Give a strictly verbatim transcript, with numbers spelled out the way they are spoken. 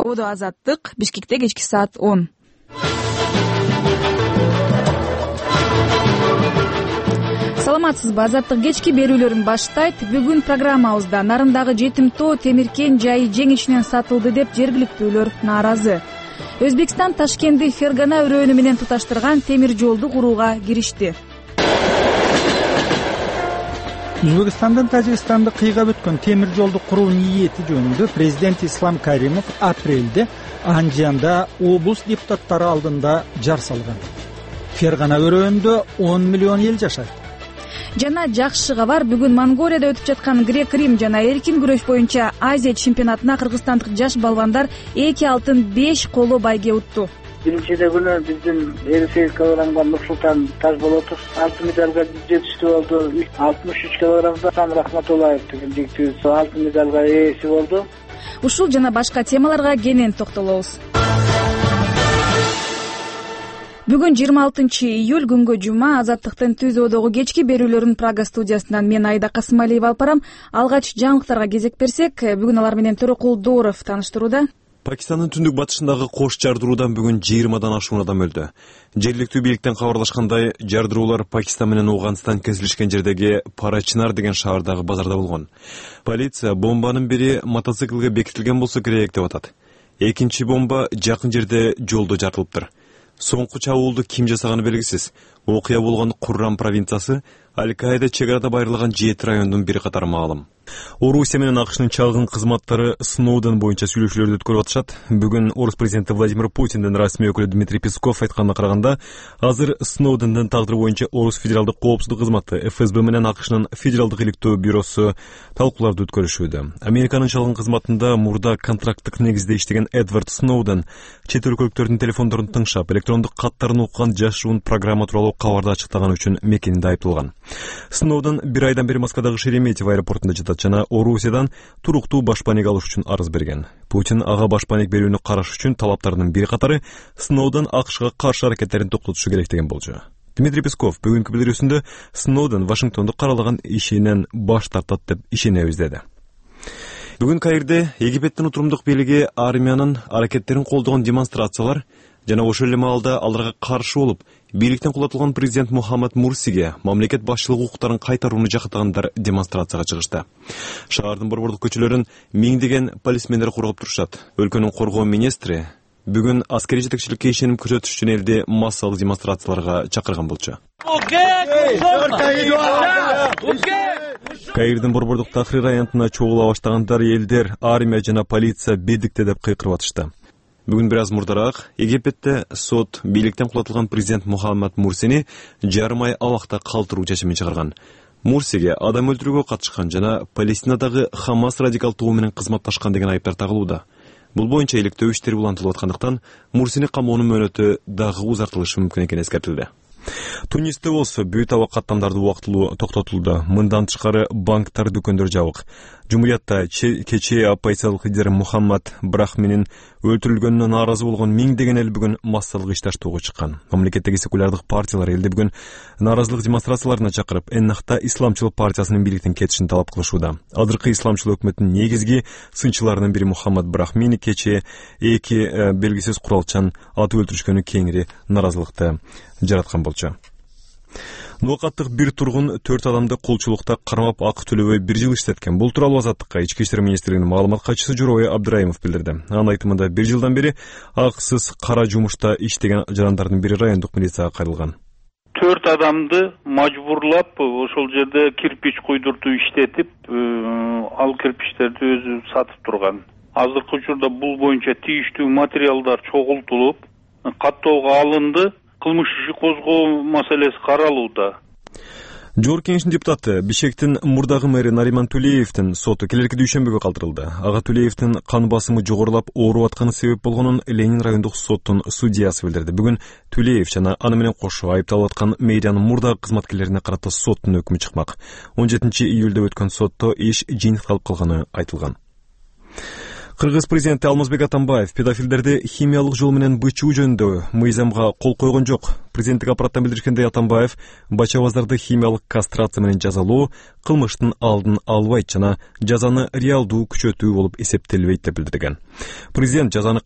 Одо Азаттык, Бишкекте кечки саат он. Саламатсызбы? Азаттык кечки берүүлөрүн баштайт. Бүгүн программабызда Нарындагы жетим тоо темиркен жайы жең ичинен сатылды деп жергиликтүүлөр нааразы. Өзбекстан Ташкентти Фергана өрөөнү менен туташтырган темир жолду курууга киришти. Өзбекстандан Тажикстанды кыйгап өткөн темир жолду куруу ниети жөнүндө президент Ислам Каримов апрелде Анжанда облус депутаттары алдында жар салган. Фергана өрөөнүндө он миллион эл жашайт. Жана жакшы кабар, бүгүн Монголияда өтүп жаткан грек-рим жана эркин күрөш боюнча Азия чемпионатына кыргызстандык жаш балбандар эки алтын беш коло байге утту. Биринчиде күнү биздин элүү сегиз килограммга Нурсултан Тажболотов алтын медалга жетиштүү болду. алтымыш үч килограммда Сам Рахматуллаев деген жигитибиз алтын медалга ээси болду. Ушул жана башка темаларга кенен токтолобуз. Бүгүн жыйырма алтынчы июль күнгө жума. Азаттыктын Түз Одогу кечки берүүлөрүн Прага студиясынан мен Айда Касымалиева алып барам. Алгач жаңылыктарга кезек берсек, бүгүн алар менен Төрөкул Дооров тааныштырууда. Пакистандын түндүк батышындагы кош жардыруудан бүгүн жыйырмадан ашуун адам өлдү. Жергиликтүү бийликтен кабарлашкандай, жардыруулар Пакистан менен Ооганстан кесилишкен жердеги Парачинар деген шаардагы базарда болгон. Полиция бомбанын бири мотоциклге бекитилген болсо керек деп атат. Экинчи бомба жакын жерде жолдо жарылыптыр. Соңку чабуулду ким жасаганы белгисиз. Окуя болгон Куррам провинциясы Аль-Каида чек арада байырлаган жети райондун бири катары маалым. Орусия менен АКШнын чалгын кызматтары Сноуден боюнча сүйлөшүүлөрдү өткөрүп атышат. Бүгүн Орус президенти Владимир Путиндин расмий өкүлү Дмитрий Песков айтканына караганда, азыр Сноудендин тагдыры боюнча Орус федералдык коопсуздук кызматы эф эс бэ менен АКШнын федералдык иликтөө бюросу талкууларды өткөрүшүүдө. Американын чалгын кызматында мурда контракттык негизде иштеген Эдвард Сноуден чет өлкөлүктөрдүн телефондорун тыңшап, электрондук каттарын уккан жашуун программа тууралуу кабарды ачыктаганы үчүн мекенинде айыпталган. Сноуден бир айдан бери Москвадагы Шереметьево аэропортунда жатат жана Орусиядан туруктуу башпаник алыш үчүн арыз берген. Путин ага башпаник берүүнү караш үчүн талаптарынын бир катары Сноуден АКШга каршы аракеттерин токтотушу керек деген болчу. Дмитрий Песков бүгүнкү билдирүүсүндө Сноуден Вашингтондо каралаган ишинен баш тартат деп ишенебиз деди. Бүгүн Каирде Египеттин утурумдук бийлиги армиянын аракеттерин колдогон демонстрациялар жана ошол эле маалда аларга каршы болуп, бийликтен кулатылган президент Мухаммад Мурсиге мамлекет башчылык укуктарын кайтарууну жактагандар демонстрацияга чыгышты. Шаардын борбордук көчөлөрүн миңдеген полисмендер коргоп турушат. Өлкөнүн коргоо министри бүгүн аскери жетекчиликке ишенип көрсөтүш үчүн элди массалык демонстрацияларга чакырган болчу. Каирдин борбордук Тахрир аянтына чогула баштагандар элдер армия жана полиция бедикте деп кыйкырып атышты. Бүгүн бир аз мурдараак Египетте сот бийликтен кулатылган президент Мухаммад Мурсини жарым ай абакта калтыруу чечимин чыгарган. Мурсиге адам өлтүрүүгө катышкан жана Палестинадагы Хамас радикал тобу менен кызматташкан деген айыптар тагылууда. Бул боюнча иликтөө иштери улантылып аткандыктан Мурсини камоонун мөөнөтү дагы узартылышы мүмкүн экени эскертилди. Тунисте болсо бүт аба каттамдарды убактылуу токтотулду. Мындан тышкары банктар, дүкөндөр жабык. Жумуриятта кечээ оппозициялык лидер Мухаммад Брахминин өлтүрүлгөнүнө нааразы болгон миңдеген эл бүгүн массалык ишташтоого чыккан. Мамлекеттеги секулярдык партиялар элде бүгүн нааразылык демонстрацияларына чакырып, Эннахта исламчыл партиясынын бийликтин кетишин талап кылышууда. Азыркы исламчыл өкмөттүн негизги сынчыларынын бири Мухаммад Брахмини кечээ эки белгисиз куралчан атып өлтүрүшкөнү кеңири нааразылыкты жараткан болчу. Нукаттык бир тургун төрт адамды колчулукта кармап акы төлөбөй бир жыл иштеткен. Бул тууралуу Азаттыкка Ички иштер министрлигинин маалымат катчысы Журой Абдраимов билдирди. Анын айтымында бир жылдан бери акысыз кара жумушта иштеген жарандардын бири райондук милицияга кайрылган. Төрт адамды мажбурлап ошол жерде кирпич куйдуртуп иштетип, ал кирпичтерди өзү сатып турган. Азыркы учурда бул боюнча тийиштүү материалдар чогултулуп, каттоого алынды. Кылмыш иши козгоо маселеси каралууда. Жогорку кеңештин депутаты Бишкектин мурдагы мэри Нариман Тулеевдин соту келерки дүйшөмбүгө калтырылды. Ага Тулеевдин кан басымы жогорулап ооруп атканы себеп болгонун Ленин райондук соттун судьясы билдирди. Бүгүн Тулеев жана аны менен кошо айыпталып аткан мэриянын мурдагы кызматкерлерине карата соттун өкмү чыкмак. он жетинчи июлда өткөн сотто иш жыйынтыкталып калганы айтылган. Кыргыз президенти Алмазбек Атамбаев педофилдерди химиялык жол менен бычуу жөнүндө мыйзамга кол койгон жок. Президенттик аппараттан билдиришкендей, Атамбаев бачабаздарды химиялык кастрация менен жазалоо кылмыштын алдын албайт жана жазаны реалдуу күчөтүү болуп эсептелбейт деп билдирген. Президент жазаны